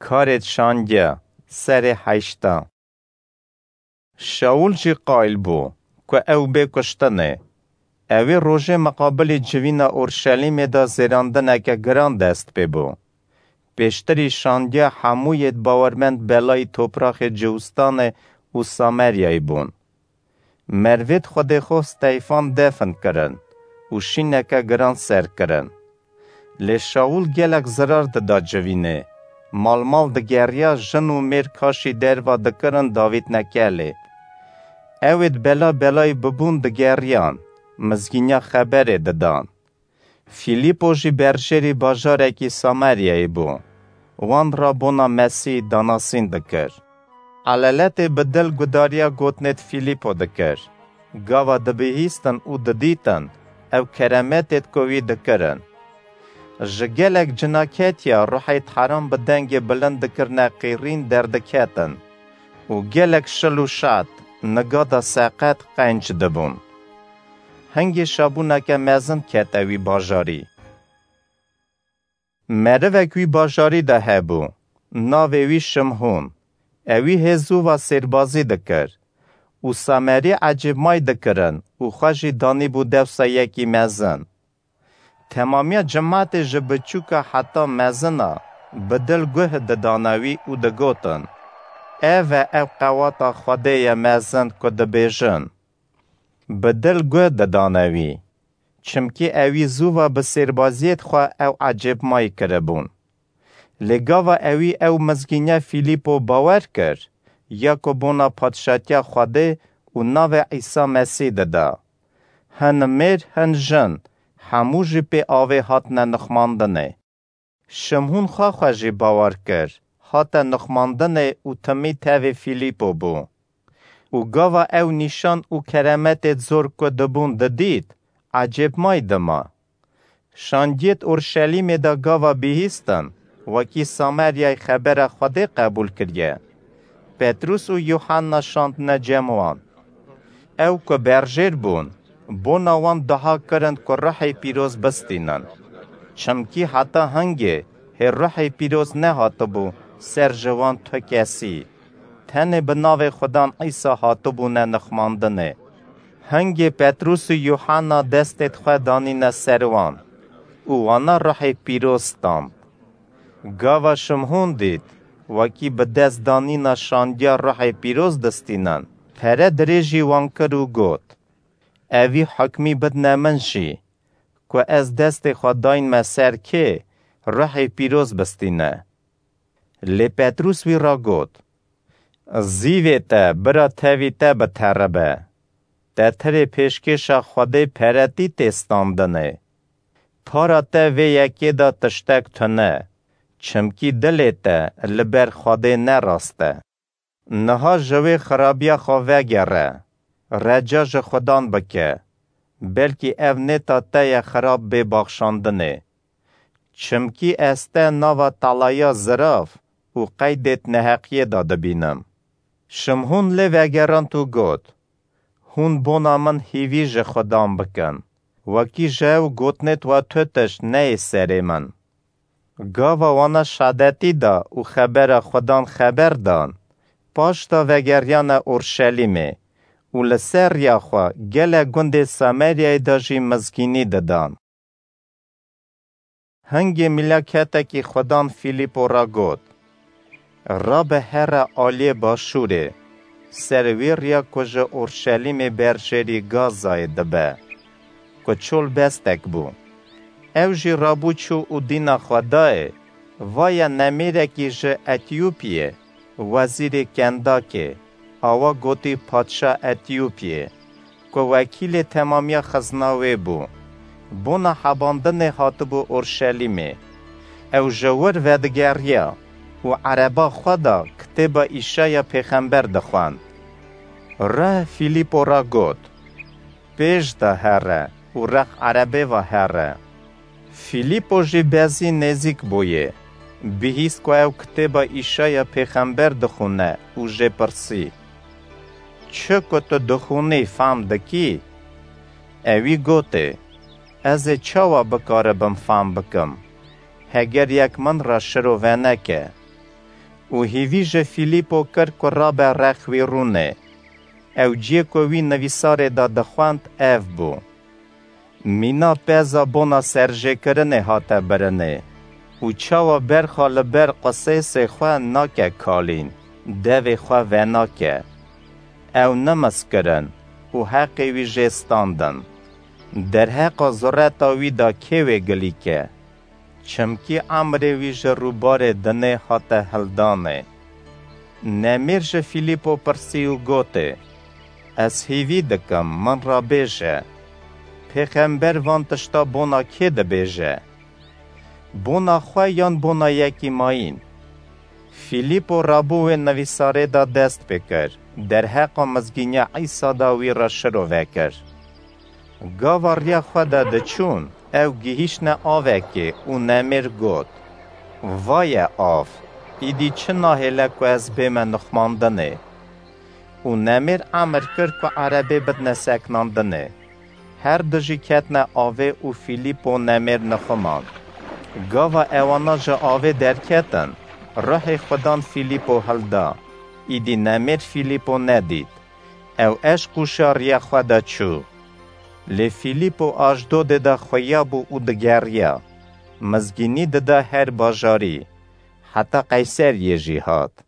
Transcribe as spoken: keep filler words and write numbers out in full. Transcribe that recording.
Karêd şandiya, serê heşta. Şaul jî qayil bû ku ew bê kuştinê. Ewê rojê miqabilî civîna Orşelîmê de zêrandineke giran dest pê bû. Pêştirî şandiya hemû yêd bawermend belayî topraxê Ciwistanê û Sameryayê bûn. Mervêd Xwedê xwe Steyfan defn kirin û şîneke giran ser kirin. Lê Şaul gelek zirar dida civînê. Malmal digeriya, jin û mêr kaşî derva dikirin davîtne kelê. Ewêd bela belayî bibûn digeriyan, mizgîniya xeberê didan. Fîlîpo jî berjêrî bajarekî Sameryayê bû. Wan re bona Mesîh danasîn dikir. Eleletê bi dil gudariya gotinêd Fîlîpo dikir. Gava dibihîstin û didîtin, ew keremetêd ku wî dikirin. Ji gelek cina ketiya ruhê teheran bi dengê bilind dikirine qîrîn derdiketin û gelek şil û şat, nigada seqet qenc dibûn. Hingê şabûneke mezin kete wî bajarî. Merivek wî bajarî de hebû, navê wî Şimhûn. Ewî hê zûva sêrbazî dikir û Samerî ecêbmay dikirin û xwe jî danîbû dewsa yekî mezin. Temamiya cimatê ji biçûka heta mezina bi dil guh didane wî û digotin, "Ev e ew qewata Xwedê ye mezin ku dibêjin." Bi dil guh didane wî, çimkî ewî zûva bi sêrbaziyêd xwe ew ecêbmay kiribûn. Lê gava ewî ew mizgîniya Fîlîpo bawer kir, ya ku bona padşatiya Xwedê û navê Îsa Mesîh dida. Hin mêr, hin jin, hemû jî pê avê hatine nixmandinê. Şimhûn xwe xwe jî bawer kir, hate nixmandinê û timî tevê Fîlîpo bû. Û gava ew nîşan û keremetêd zor ku dibûn didît, ecêbmay dima. Şandiyêd Orşelîmê de gava bihîstin, wekî Sameryayê xebera Xwedê qebûl kiriye. Petrûs û Yuhanna şandine cem wan. Ew ku berjêr bûn, bona wan dua kirin ku Ruhê Pîroz bistînin. Çimkî heta hingê hê Ruhê Pîroz nehatibû ser ji wan tu kesî. Tenê bi navê Xudan Îsa hatibûne nixmandinê. Hingê Petrûs û Yuhanna destêd xwe danîne ser wan û wana Ruhê Pîroz stand. Gava Şimhûn dît, wekî bi dest danîna şandiya Ruhê Pîroz distînin, pere dirêjî wan kir û got, "Evî hukmî bidne min jî, ku ez destê xwe dayînme ser kê Ruhê Pîroz bistîne." Lê Petrûs wî re got, "Zîvê te bira tevî te biteribe. Te tirê pêşkêşa Xwedê peretî tê standinê. Para te vê yekê de tiştek tune, çimkî dilê te li ber Xwedê ne rast e. Niha ji wê xirabiya xwe vegere, reca ji Xudan bike, belkî ev nêta te ye xirab bê baxşandinê. Çimkî ez te nava talaya zirav û qeydêd neheqiyê de dibînim." Şimhûn lê vegerand û got, "Hûn bona min hîvî ji Xudan bikin, wekî ji ew gotinêd wa tu tişt neyê serê min." Gava wana şadetî da û xebera Xudan xeber dan, paşda vegeriyane Orşelîmê û li ser riya xwe gelek gundê Sameryayê de jî mizgînî didan. Hingê mileketekî Xudan Fîlîpo re got, "Rabe here aliyê başûrê, ser wê riya ku ji Orşelîmê berjêrî Gazayê dibe, ku çolbestek bû." Ew jî rabû çû û dîna xwe dayê, vaye nemêrekî ji Etîyopiyê, wezîrê Kendakê, awa gotî padşa Etîyopiyê, ku wekîlê temamiya xizna wê bû. Bona hebandinê hatibû Orşelîmê. Ew ji wir vedigeriya û ereba xwe de kitêba Îşaya pêxember dixwend. Reh Fîlîpo re got, "Pêş de here û rex erebê ve here." Fîlîpo jî bezî nêzîk bûyê. Bihîst ku ew kitêba Îşaya pêxember dixwine û jê pirsî, "Çi ku tu dixwînî fam dikî?" Ewî gotê, "Ez ê çawa bikaribim fam bikim, heger yek min re şirove neke?" û hîvî ji Fîlîpo kir ku rabe rex wî rûnê. Ew ciyê ku wî nivîsarê de dixwend ev bû: Mîna peza bona serjêkirinê hate birinê û çawa berxa li ber qisêsê xwe nake kalîn, devê xwe venake. Ew nimiz kirin û heqê wî jê standin. Derheqa zureta wî de kê wê gilî ke? Çimkî emrê wî ji rûbarê dinê hate hildanê. Nemêr ji Fîlîpo pirsî û gotê: Ez hîvî dikim, min re bêje, pêxember van tişta bona kê dibêje? Bona xwe yan bona yekî mayîn? Fîlîpo rabû wê nivîsarê de dest pê kir, derheqa mizgîniya Îsa de wî re şirove kir. Gava riya xwe de diçûn, ew gihîştine avekê û nemêr got: Vaye av, îdî çi nahêle ku ez bême nixmandinê? Û nemêr emir kir ku erebê bidine seknandinê. Her du jî ketine avê û Fîlîpo nemêr nixumand. Gava ewana ji avê derketin, ruhê Xudan Fîlîpo hilda. Îdî nemêr Fîlîpo nedît. Ew eşq û şariya xwe de çû. Lê Fîlîpo Aşdodê de xuya bû û digeriya. Mizgînî dida her bajarî, heta Qeyseriyê jî hat.